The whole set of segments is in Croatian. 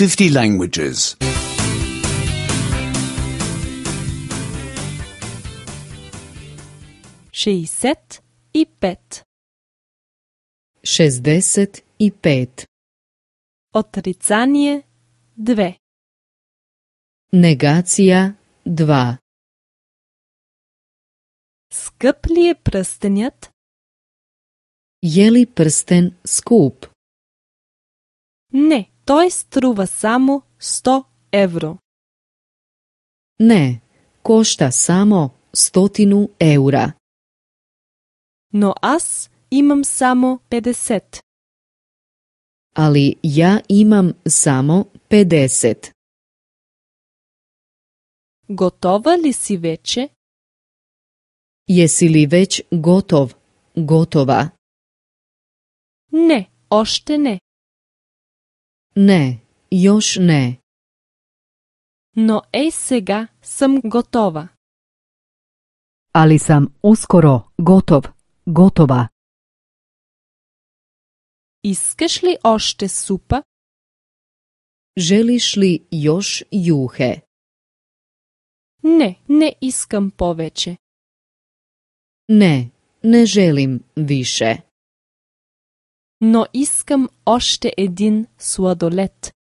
50 languages. 65. 65. Отрицание 2. Negacija 2. Скъп ли е пръстенят? Je li prsten skup? Не, той струва само 100 евро. Ne, košta samo 100 eura. Но аз имам само 50. Ali ja imam samo 50. Готова ли си вече? Jesi li već gotov, gotova? Не, още не. Ne, još ne. Но ей сега съм готова. Ali sam uskoro gotov, gotova. Искаш ли още супа? Želiš li još juhe? Не, не искам повече. Ne, ne želim više. Но искам още един сладолед.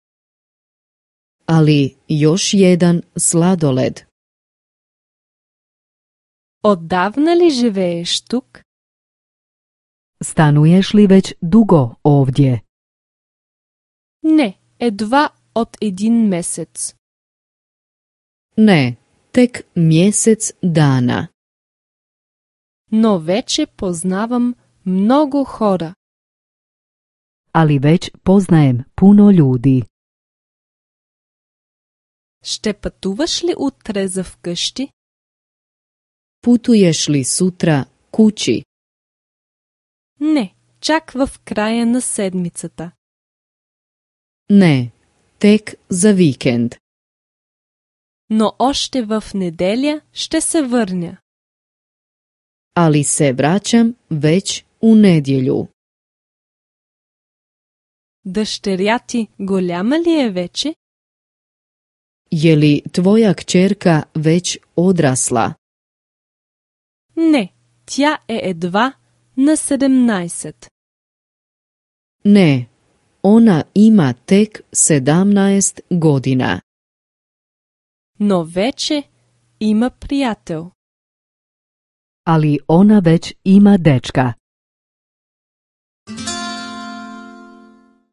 Ali još jedan sladoled. Отдавна ли живееш тук? Stanuješ li već dugo ovdje? Не, едва от един месец. Ne, tek mjesec dana. Но вече познавам много хора. Ali već poznajem puno ljudi. Ще пътуваш ли утре за вкъщи? Putuješ li sutra kući? Не, чак в края на седмицата. Ne, tek za vikend. Но още в неделя ще се върня. Ali se vraćam već u nedjelju. Дъщеря ти голяма ли е вече? Je li tvoja kćerka već odrasla? Не, тя е едва на 17. Ne, ona ima tek 17 godina. Но вече има приятел. Ali ona već ima dečka.